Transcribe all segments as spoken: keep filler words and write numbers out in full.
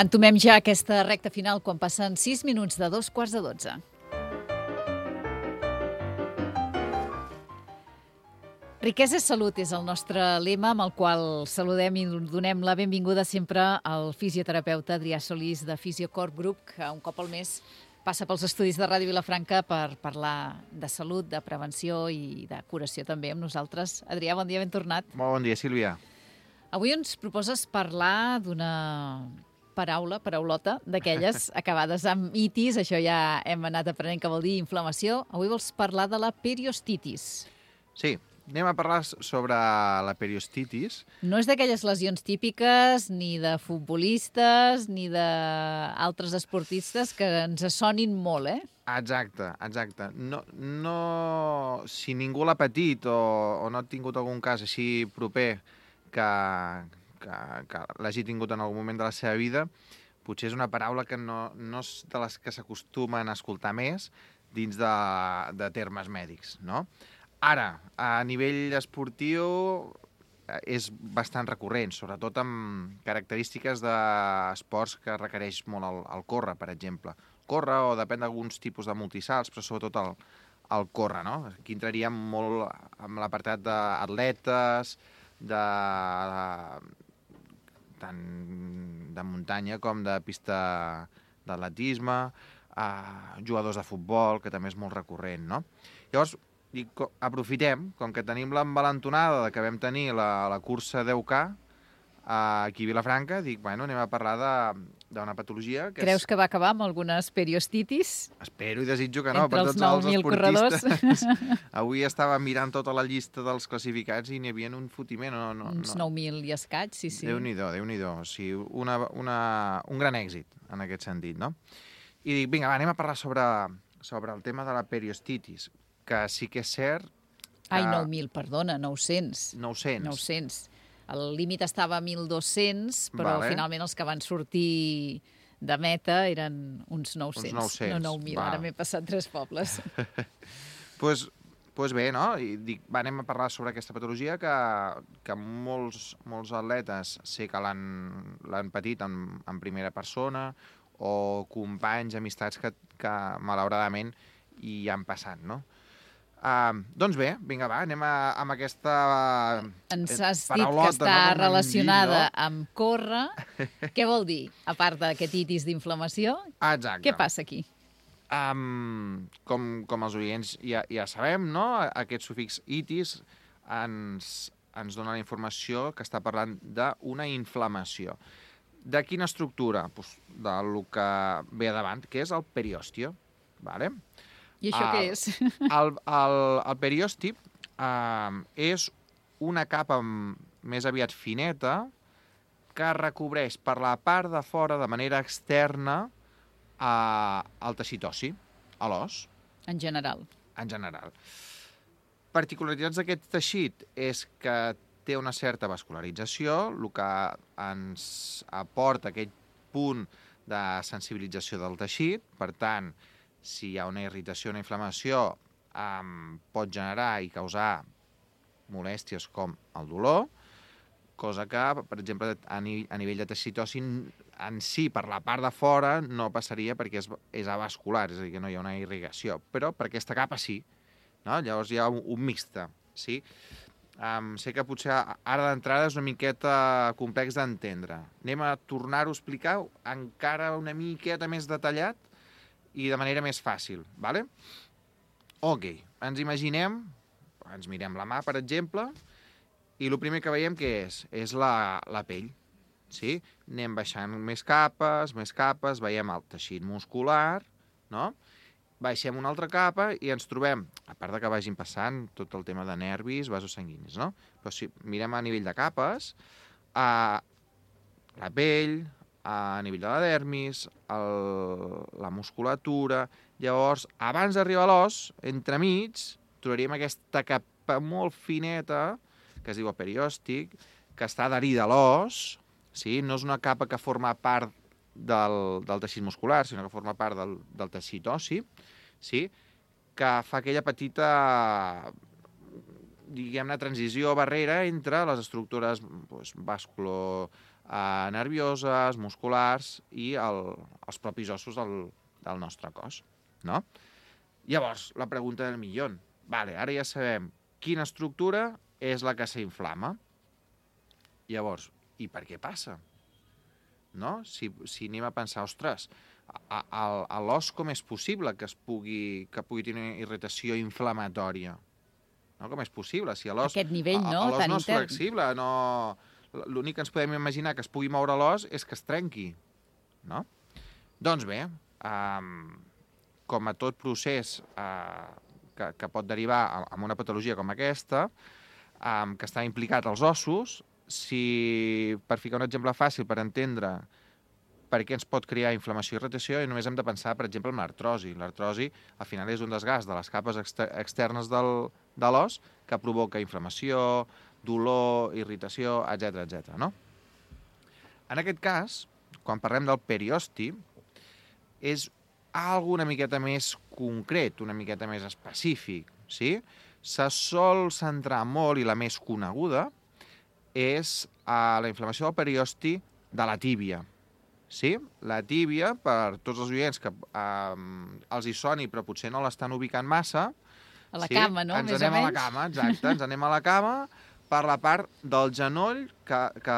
Entomem ja aquesta recta final quan passen sis minuts de dos quarts de dotze. Riquesa és salut és el nostre lema amb el qual saludem i donem la benvinguda sempre al fisioterapeuta Adrià Solís de Fisiocorp Group, que un cop al mes passa pels estudis de Ràdio Vilafranca per parlar de salut, de prevenció i de curació també amb nosaltres. Adrià, bon dia, ben tornat. Molt bon dia, Sílvia. Avui ens proposes parlar d'una paraula, paraulota, d'aquelles acabades amb itis, això ja hem anat aprenent que vol dir inflamació. Avui vols parlar de la periostitis. Sí, anem a parlar sobre la periostitis. No és d'aquelles lesions típiques ni de futbolistes ni d'altres esportistes que ens sonin molt, eh? Exacte, exacte. No, no, si ningú l'ha patit o, o no ha tingut algun cas així proper que, que, que l'hagi tingut en algun moment de la seva vida, potser és una paraula que no, no és de les que s'acostumen a escoltar més dins de, de termes mèdics, no? Ara, a nivell esportiu és bastant recurrent, sobretot amb característiques d'esports que requereix molt el, el córrer, per exemple. Córrer o depèn d'alguns tipus de multisalts, però sobretot el, el córrer, no? Aquí entraríem molt amb l'apartat d'atletes, de, tant de muntanya com de pista d'atletisme, eh, jugadors de futbol, que també és molt recurrent, no? Llavors, I aprofitem, com que tenim l'envalentonada que vam tenir la, la cursa deu K aquí a Vilafranca, dic, bueno, anem a parlar d'una patologia que Creus és... que va acabar amb algunes periostitis? Espero i desitjo que no, entre per els tots nou els mil esportistes. corredors. Avui estava mirant tota la llista dels classificats i n'hi havia un fotiment. No, no, Uns no. nou mil i escaig, sí, sí. Déu-n'hi-do, Déu-n'hi-do. O sigui, una, una, un gran èxit en aquest sentit, no? I dic, vinga, va, anem a parlar sobre, sobre el tema de la periostitis, que sí que és cert... Que... Ai, nou mil, perdona, nou-cents. nou-cents. nou-cents. El límit estava a mil dos-cents, però vale. finalment els que van sortir de meta eren uns nou-cents. Uns nou-cents. No nou mil, ara m'he passat tres pobles. pues, pues bé, no? I dic, va, anem a parlar sobre aquesta patologia que, que molts, molts atletes sé que l'han patit en, en primera persona o companys, amistats que, que malauradament hi han passat, no? Uh, doncs bé, vinga, va, anem a, amb aquesta Ens has dit que està no? relacionada dit, no? amb córrer. Què vol dir, a part d'aquest itis d'inflamació? Exacte. Què passa aquí? Um, com, com els oients ja, ja sabem, no? Aquest sufix itis ens, ens dona la informació que està parlant d'una inflamació. De quina estructura? Pues del que ve a davant, que és el periòstio. Vale? I això el, què és? El, el, el periòstip uh, és una capa més aviat fineta que recobreix per la part de fora, de manera externa, uh, el teixit ossi, a l'os. En general. En general. Particularitats d'aquest teixit és que té una certa vascularització, el que ens aporta aquest punt de sensibilització del teixit. Per tant, si hi ha una irritació, una inflamació, um, pot generar i causar molèsties com el dolor, cosa que, per exemple, a, ni a nivell de teixit ossi en si, per la part de fora, no passaria perquè és, és avascular, és a dir, que no hi ha una irrigació, però per aquesta capa sí. No? Llavors hi ha un, un mixte, sí? Um, sé que potser ara d'entrada és una miqueta complex d'entendre. Anem a tornar-ho a explicar encara una miqueta més detallat i de manera més fàcil, vale? Ok, ens imaginem, ens mirem la mà, per exemple, i el primer que veiem què és? És la, la pell, sí? Anem baixant més capes, més capes, veiem el teixit muscular, no? Baixem una altra capa i ens trobem, a part de que vagin passant tot el tema de nervis, vasos sanguinis, no? Però si mirem a nivell de capes, a la pell, a nivell de la dermis, el, la musculatura... Llavors, abans d'arribar a l'os, entremig, trobaríem aquesta capa molt fineta, que es diu el periòstic, que està adherida a l'os, sí? No és una capa que forma part del, del teixit muscular, sinó que forma part del, del teixit ossi, sí? Que fa aquella petita, diguem-ne, transició barrera entre les estructures doncs, vasculo, eh, nervioses, musculars i el, els propis ossos del, del nostre cos, no? Llavors, la pregunta del milió. Vale, ara ja sabem quina estructura és la que s'inflama. Llavors, i per què passa? No? Si, si anem a pensar, ostres, a, a, a l'os com és possible que es pugui, que pugui tenir una irritació inflamatòria? No? Com és possible? Si l'os, aquest nivell, no? L'os Tan no és intern. flexible, no... L'únic que ens podem imaginar que es pugui moure l'os és que es trenqui, no? Doncs bé, um, com a tot procés uh, que, que pot derivar en una patologia com aquesta, um, que està implicat als ossos, si, per ficar un exemple fàcil per entendre per què ens pot crear inflamació i irritació, i només hem de pensar, per exemple, en l'artrosi. L'artrosi, al final, és un desgast de les capes exter externes del, de l'os que provoca inflamació, dolor, irritació, etcètera, etcètera, no? En aquest cas, quan parlem del periosti, és alguna miqueta més concret, una miqueta més específic, sí? Se sol centrar molt, i la més coneguda, és a la inflamació del periosti de la tíbia. Sí? La tíbia, per tots els oients que eh, els hi soni però potser no l'estan ubicant massa... A la sí? cama, no? Ens Més anem o menys. a la cama, exacte. Ens anem a la cama per la part del genoll, que, que,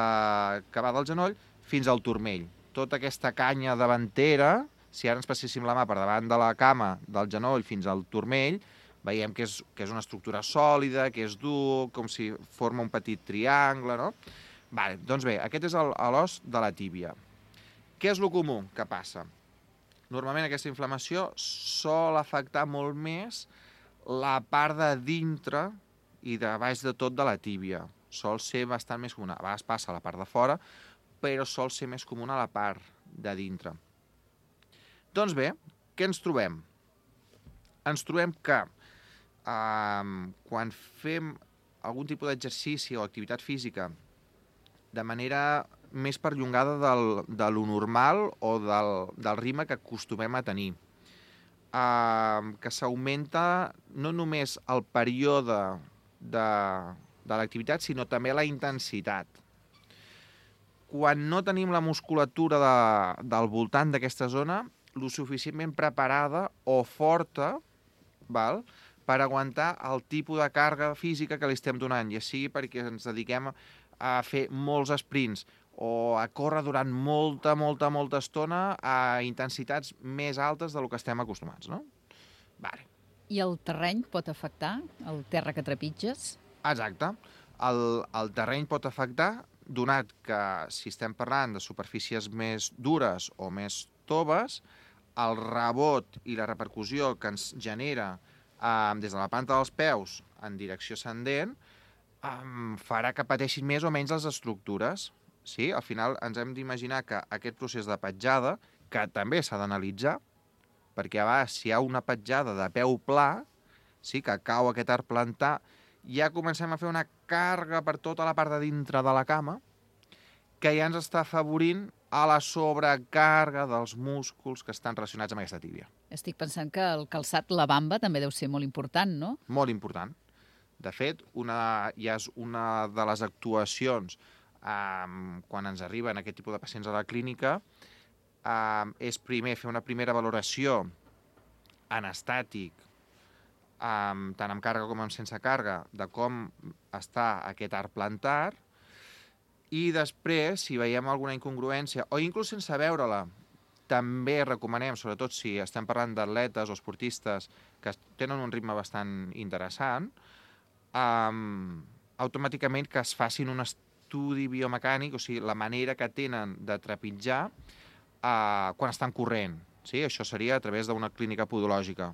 que va del genoll fins al turmell. Tota aquesta canya davantera, si ara ens passéssim la mà per davant de la cama, del genoll fins al turmell, veiem que és, que és una estructura sòlida, que és dur, com si forma un petit triangle, no? Vale, doncs bé, aquest és l'os de la tíbia. Què és el comú que passa? Normalment aquesta inflamació sol afectar molt més la part de dintre i de baix de tot de la tíbia. Sol ser bastant més comuna. A vegades passa a la part de fora, però sol ser més comuna a la part de dintre. Doncs bé, què ens trobem? Ens trobem que eh, quan fem algun tipus d'exercici o activitat física de manera més perllongada del, de lo normal o del, del ritme que acostumem a tenir. Uh, que s'augmenta no només el període de, de l'activitat, sinó també la intensitat. Quan no tenim la musculatura de, del voltant d'aquesta zona, lo suficientment preparada o forta, val, per aguantar el tipus de càrrega física que li estem donant, ja sigui perquè ens dediquem a fer molts sprints o a córrer durant molta, molta, molta estona a intensitats més altes del que estem acostumats, no? Vale. I el terreny pot afectar? El terra que trepitges? Exacte. El, el terreny pot afectar, donat que si estem parlant de superfícies més dures o més toves, el rebot i la repercussió que ens genera eh, des de la planta dels peus en direcció ascendent Um, farà que pateixin més o menys les estructures. Sí? Al final ens hem d'imaginar que aquest procés de petjada, que també s'ha d'analitzar, perquè a vegades si hi ha una petjada de peu pla, sí, que cau aquest arc plantar, ja comencem a fer una càrrega per tota la part de dintre de la cama, que ja ens està afavorint a la sobrecàrrega dels músculs que estan relacionats amb aquesta tíbia. Estic pensant que el calçat, la bamba, també deu ser molt important, no? Molt important. De fet, una, ja és una de les actuacions eh, quan ens arriben aquest tipus de pacients a la clínica, eh, és primer fer una primera valoració en estàtic, eh, tant amb càrrega com amb sense càrrega, de com està aquest arc plantar, i després, si veiem alguna incongruència, o inclús sense veure-la, també recomanem, sobretot si estem parlant d'atletes o esportistes que tenen un ritme bastant interessant, Um, automàticament que es facin un estudi biomecànic, o sigui, la manera que tenen de trepitjar uh, quan estan corrent. Sí? Això seria a través d'una clínica podològica.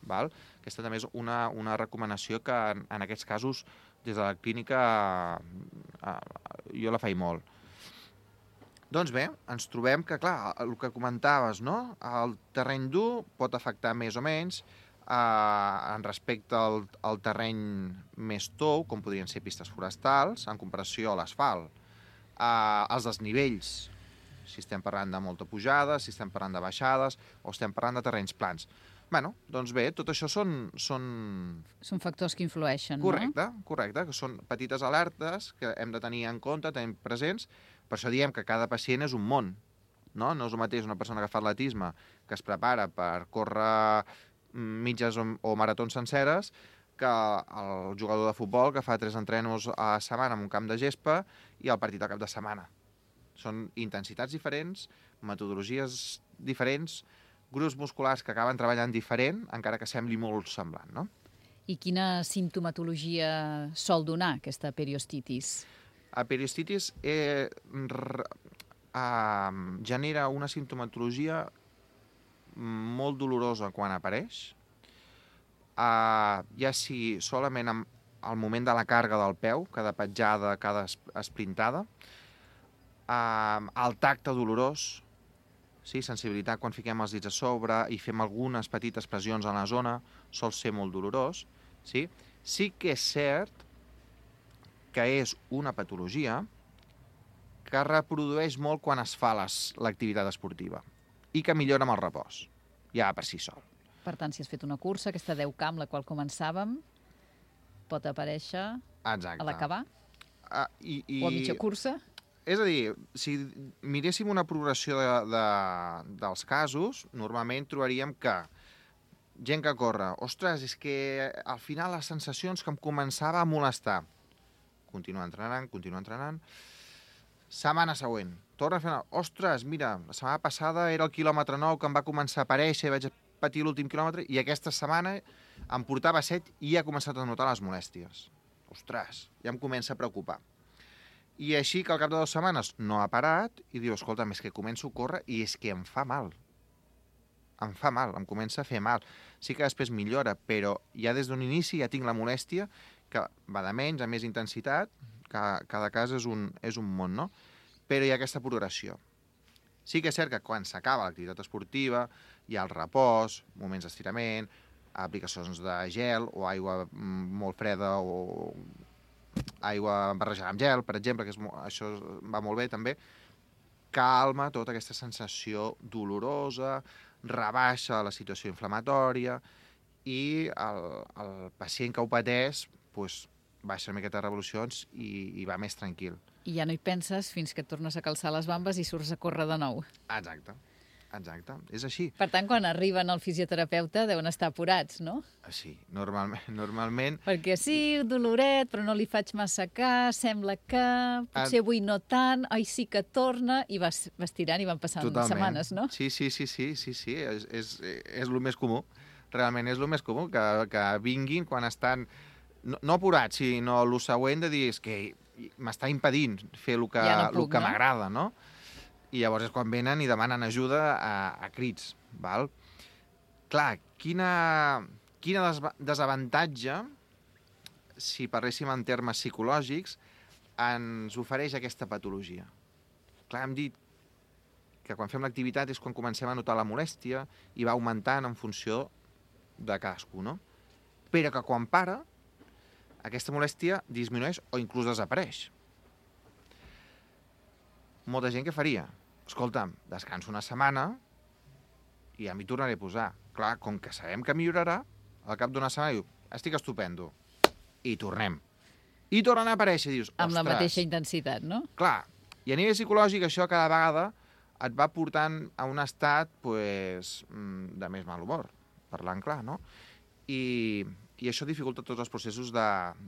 Val? Aquesta també és una, una recomanació que en, en aquests casos des de la clínica uh, uh, jo la faig molt. Doncs bé, ens trobem que, clar, el que comentaves, no? El terreny dur pot afectar més o menys, Uh, en respecte al, al terreny més tou, com podrien ser pistes forestals, en comparació a l'asfalt. Uh, els desnivells, si estem parlant de molta pujada, si estem parlant de baixades, o estem parlant de terrenys plans. Bueno, doncs bé, tot això són... Són, són factors que influeixen, correcte, no? Correcte, que són petites alertes que hem de tenir en compte, tenir presents, Per això diem que cada pacient és un món, no? No és el mateix una persona que fa atletisme, que es prepara per córrer mitges o, o maratons senceres, que el jugador de futbol que fa tres entrenos a la setmana en un camp de gespa i el partit al cap de setmana. Són intensitats diferents, metodologies diferents, grups musculars que acaben treballant diferent, encara que sembli molt semblant, no? I quina simptomatologia sol donar aquesta periostitis? La periostitis eh, r, eh, genera una simptomatologia molt dolorosa quan apareix, Uh, ja sigui solament al moment de la càrrega del peu, cada petjada, cada esprintada, uh, el tacte dolorós, sí, sensibilitat quan fiquem els dits a sobre i fem algunes petites pressions a la zona, sol ser molt dolorós. Sí, sí que és cert que és una patologia que reprodueix molt quan es fa l'activitat esportiva i que millora amb el repòs, ja per si sol. Per tant, si has fet una cursa, aquesta deu K amb la qual començàvem, pot aparèixer Exacte. A l'acabar? Uh, i, i... O a mitja cursa? És a dir, si miréssim una progressió de, de, dels casos, normalment trobaríem que gent que corre, ostres, és que al final les sensacions que em començava a molestar. Continua entrenant, continua entrenant. Setmana següent, torna a fer... Ostres, mira, la setmana passada era el quilòmetre nou que em va començar a aparèixer, vaig patir l'últim quilòmetre, i aquesta setmana em portava set i ja he començat a notar les molèsties. Ostres, ja em comença a preocupar. I així que al cap de dues setmanes no ha parat i diu, escolta, és que començo a córrer i és que em fa mal. Em fa mal, em comença a fer mal. Sí que després millora, però ja des d'un inici ja tinc la molèstia que va de menys a més intensitat, cada, cada cas és un, és un món, no? Però hi ha aquesta progressió. Sí que és cert que quan s'acaba l'activitat esportiva hi ha el repòs, moments d'estirament, aplicacions de gel o aigua molt freda o aigua barrejada amb gel, per exemple, que és, això va molt bé també, calma tota aquesta sensació dolorosa, rebaixa la situació inflamatòria i el, el pacient que ho pateix pues, baixa una miqueta de revolucions i, i va més tranquil. I ja no hi penses fins que et tornes a calçar les bambes i surts a córrer de nou. Exacte. Exacte, és així. Per tant, quan arriben al fisioterapeuta deuen estar apurats, no? Sí, normalment. normalment... Perquè sí, doloret, però no li faig massa cas, sembla que potser avui no tant, ai, sí que torna, i vas, vas tirant i van passant Totalment. Setmanes, no? Sí, sí, sí, sí, sí, sí. És, és, és el més comú. Realment és el més comú, que, que vinguin quan estan, no, no apurats, sinó el següent de dir, és que m'està impedint fer el que, ja no puc, el que no? m'agrada, no? I llavors és quan venen i demanen ajuda a, a crits, val? Clar, quina, quina des desavantatge, si parléssim en termes psicològics, ens ofereix aquesta patologia. Clar, hem dit que quan fem l'activitat és quan comencem a notar la molèstia i va augmentant en funció de cadascú, no? Però que quan para, aquesta molèstia disminueix o inclús desapareix. Molta gent què faria? Escolta'm, descanso una setmana i ja m'hi tornaré a posar. Clar, com que sabem que millorarà, al cap d'una setmana diu, estic estupendo. I tornem. I tornen a aparèixer, dius, ostres... Amb la mateixa intensitat, no? Clar, i a nivell psicològic això cada vegada et va portant a un estat pues, de més mal humor, parlant clar, no? I, i això dificulta tots els processos de,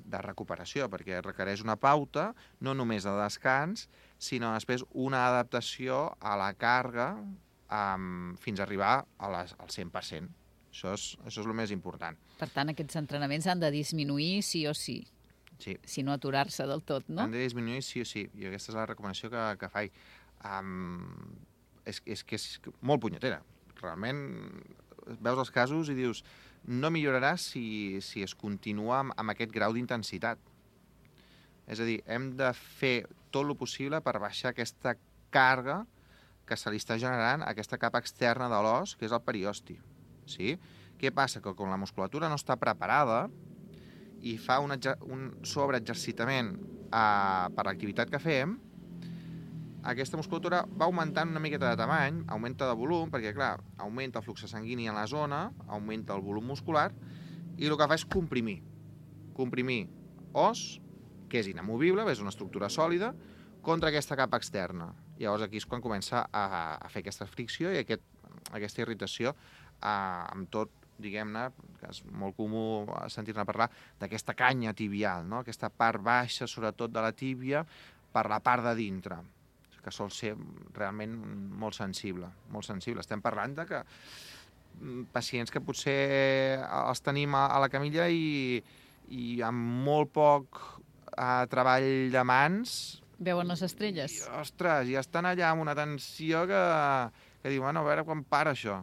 de recuperació, perquè requereix una pauta, no només de descans, sinó després una adaptació a la càrrega um, fins a arribar a les, al cent per cent. Això és, això és el més important. Per tant, aquests entrenaments han de disminuir sí o sí. Sí. Si no aturar-se del tot, no? Han de disminuir sí o sí, i aquesta és la recomanació que, que faig. Um, és, és que és molt punyetera. Realment veus els casos i dius no millorarà si, si es continua amb, amb aquest grau d'intensitat. És a dir, hem de fer tot el possible per baixar aquesta càrrega que se li està generant a aquesta capa externa de l'os, que és el periosti. Sí? Què passa? Que quan la musculatura no està preparada i fa un, un sobreexercitament eh, per l'activitat que fem, aquesta musculatura va augmentant una miqueta de tamany, augmenta de volum, perquè, clar, augmenta el flux sanguini a la zona, augmenta el volum muscular, i el que fa és comprimir. Comprimir os, que és inamovible, és una estructura sòlida, contra aquesta capa externa. Llavors aquí és quan comença a, a fer aquesta fricció i aquest, aquesta irritació a, amb tot, diguem-ne, que és molt comú sentir-ne parlar, d'aquesta canya tibial, no? Aquesta part baixa, sobretot de la tíbia, per la part de dintre, que sol ser realment molt sensible, molt sensible. Estem parlant de que pacients que potser els tenim a, a la camilla i, i amb molt poc eh, treball de mans... Veuen les estrelles. I, ostres, i estan allà amb una tensió que, que diuen, bueno, a veure quan para això.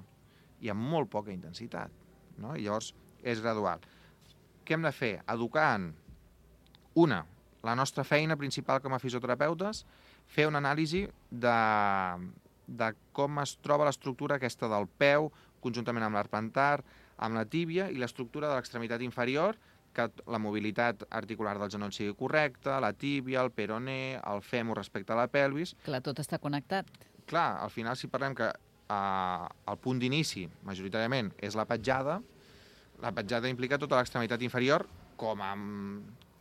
I amb molt poca intensitat, no? I llavors és gradual. Què hem de fer? Educant, una, la nostra feina principal com a fisioterapeutes, fer una anàlisi de, de com es troba l'estructura aquesta del peu, conjuntament amb l'arpentar, amb la tíbia i l'estructura de l'extremitat inferior, que la mobilitat articular del genoll sigui correcta, la tíbia, el peroné, el fèmur respecte a la pelvis. Clar, tot està connectat. Clar, al final, si parlem que eh, el punt d'inici, majoritàriament, és la petjada, la petjada implica tota l'extremitat inferior com a,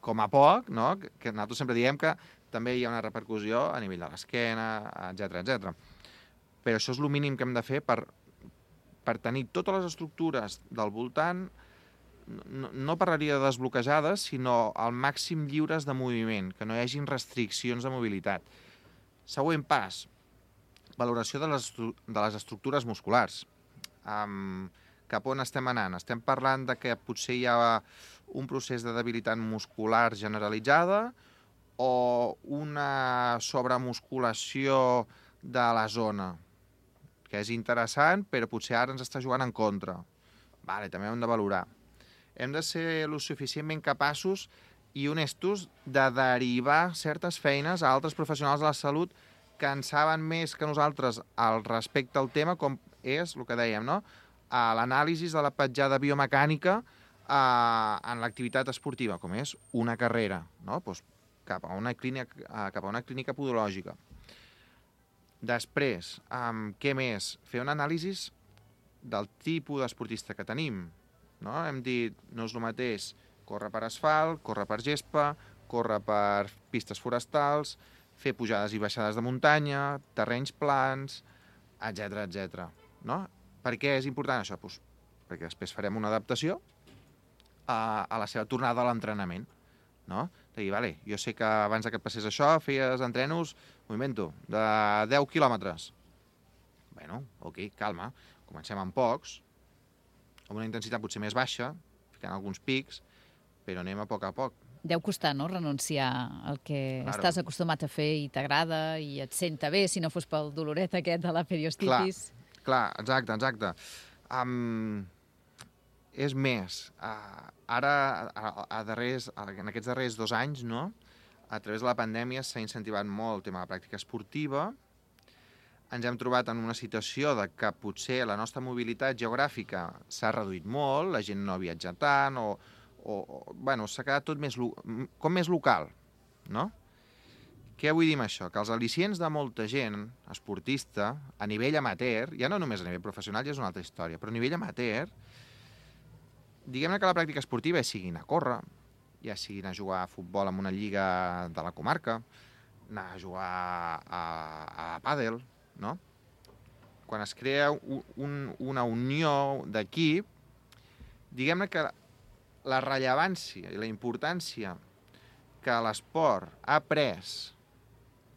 com a poc, no? Que nosaltres sempre diem que també hi ha una repercussió a nivell de l'esquena, etcètera, etcètera. Però això és el mínim que hem de fer per, per tenir totes les estructures del voltant, no, no parlaria de desbloquejades, sinó al màxim lliures de moviment, que no hi hagin restriccions de mobilitat. Següent pas, valoració de les, de les estructures musculars. Um, cap on estem anant? Estem parlant de que potser hi ha un procés de debilitat muscular generalitzada o una sobremusculació de la zona, que és interessant, però potser ara ens està jugant en contra. Vale, també hem de valorar. Hem de ser lo suficientment capaços i honestos de derivar certes feines a altres professionals de la salut que en saben més que nosaltres al respecte al tema, com és el que dèiem, no? L'anàlisi de la petjada biomecànica eh, en l'activitat esportiva, com és una carrera, no? Pues cap a una clínica, eh, cap a una clínica podològica. Després, um, què més? Fer un anàlisi del tipus d'esportista que tenim. No? Hem dit, no és el mateix córrer per asfalt, córrer per gespa, córrer per pistes forestals, fer pujades i baixades de muntanya, terrenys plans, etcètera, etcètera. No? Per què és important això? Pues perquè després farem una adaptació a, a la seva tornada a l'entrenament. No? De dir, vale, jo sé que abans que et passés això feies entrenos, m'ho invento, de deu quilòmetres. Bueno, ok, calma, comencem amb pocs, amb una intensitat potser més baixa, ficant alguns pics, però anem a poc a poc. Deu costar, no?, renunciar al que claro. Estàs acostumat a fer i t'agrada i et senta bé, si no fos pel doloret aquest de la periostitis. Clar, clar, exacte, exacte. Um, és més, uh, ara, a, a darrers, en aquests darrers dos anys, no?, a través de la pandèmia s'ha incentivat molt el tema de la pràctica esportiva. Ens hem trobat en una situació de que potser la nostra mobilitat geogràfica s'ha reduït molt, la gent no viatja tant, o, o, o bueno, s'ha quedat tot més, com més local, no? Què vull dir amb això? Que els al·licients de molta gent esportista, a nivell amateur, ja no només a nivell professional, ja és una altra història, però a nivell amateur, diguem-ne que la pràctica esportiva ja sigui anar a córrer, ja sigui anar a jugar a futbol en una lliga de la comarca, anar a jugar a, a pàdel, no? Quan es crea un, un, una unió d'equip, diguem-ne que la rellevància i la importància que l'esport ha pres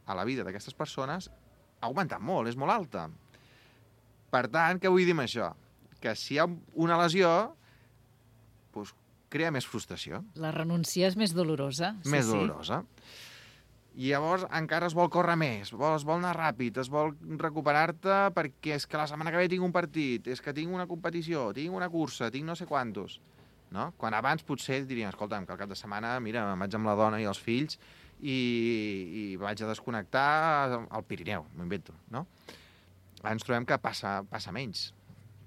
a la vida d'aquestes persones ha augmentat molt, és molt alta. Per tant, què vull dir amb això? Que si hi ha una lesió, doncs crea més frustració. La renúncia és més dolorosa. Més sí, dolorosa. Sí. I llavors encara es vol córrer més, es vol anar ràpid, es vol recuperar-te perquè és que la setmana que ve tinc un partit, és que tinc una competició, tinc una cursa, tinc no sé quantos. No? Quan abans potser dirien, escolta'm, que al cap de setmana, mira, me'n vaig amb la dona i els fills i, i vaig a desconnectar al Pirineu, m'ho invento, no? Ara ens trobem que passa, passa menys,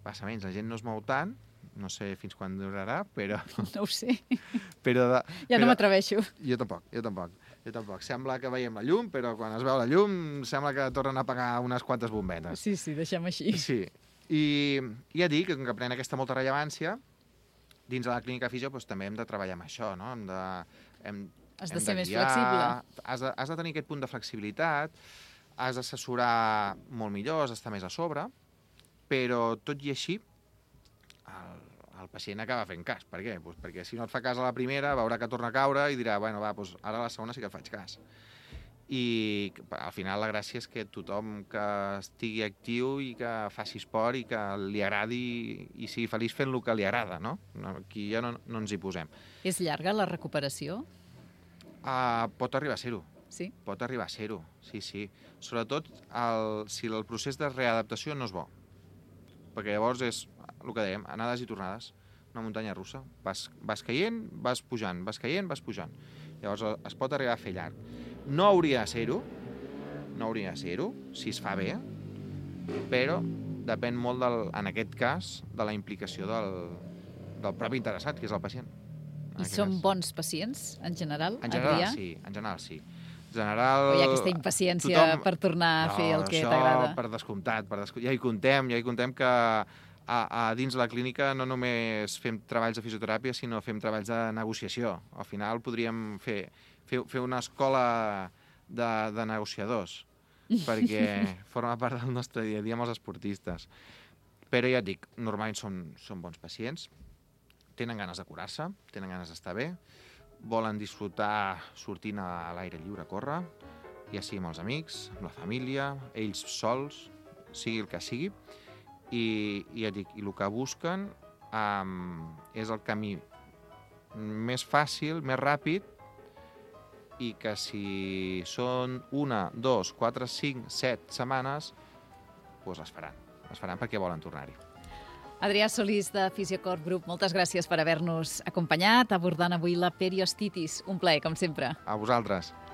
passa menys, la gent no es mou tant, no sé fins quan durarà, però... No ho sé. Però de, ja però, no m'atreveixo. Jo tampoc, jo tampoc. Jo tampoc. Sembla que veiem la llum, però quan es veu la llum sembla que tornen a apagar unes quantes bombetes. Sí, sí, deixem així. Sí. I ja dic que com que pren aquesta molta rellevància, dins de la clínica fisio doncs, també hem de treballar amb això, no? Hem de... Hem... Has de hem ser més guiar, flexible. Has de, has de tenir aquest punt de flexibilitat, has d'assessorar molt millor, has d'estar més a sobre, però tot i així el, el pacient acaba fent cas. Per què? Pues perquè si no et fa cas a la primera, veurà que torna a caure i dirà, bueno, va, doncs ara a la segona sí que et faig cas. I al final la gràcia és que tothom que estigui actiu i que faci esport i que li agradi i sigui feliç fent el que li agrada, no? Aquí ja no, no ens hi posem. És llarga la recuperació? Uh, pot arribar a ser-ho. Sí? Pot arribar a ser-ho, sí, sí. Sobretot el, si el procés de readaptació no és bo. Perquè llavors és el que dèiem, anades i tornades, una muntanya russa. Vas, vas caient, vas pujant, vas caient, vas pujant. Llavors es pot arribar a fer llarg. No hauria de ser-ho, no hauria de ser-ho, si es fa bé, però depèn molt, del, en aquest cas, de la implicació del, del propi interessat, que és el pacient. I són bons pacients, en general, En general, Adrià? sí, en general, sí. En general... O hi ha aquesta impaciència tothom... per tornar a fer el que t'agrada? No, per descomptat, per descomptat. Ja hi contem, ja hi contem que a, a dins la clínica no només fem treballs de fisioteràpia, sinó fem treballs de negociació. Al final podríem fer, fer, fer una escola de, de negociadors, perquè forma part del nostre dia a dia amb els esportistes. Però ja et dic, normalment són, són bons pacients, tenen ganes de curar-se, tenen ganes d'estar bé, volen disfrutar sortint a l'aire lliure a córrer, ja sigui amb els amics, amb la família, ells sols, sigui el que sigui, i, i ja dic, i el que busquen um, és el camí més fàcil, més ràpid, i que si són una, dos, quatre, cinc, set setmanes, doncs les faran, les faran perquè volen tornar-hi. Adrià Solís, de Fisiocorp Group, moltes gràcies per haver-nos acompanyat abordant avui la periostitis. Un plaer, com sempre. A vosaltres.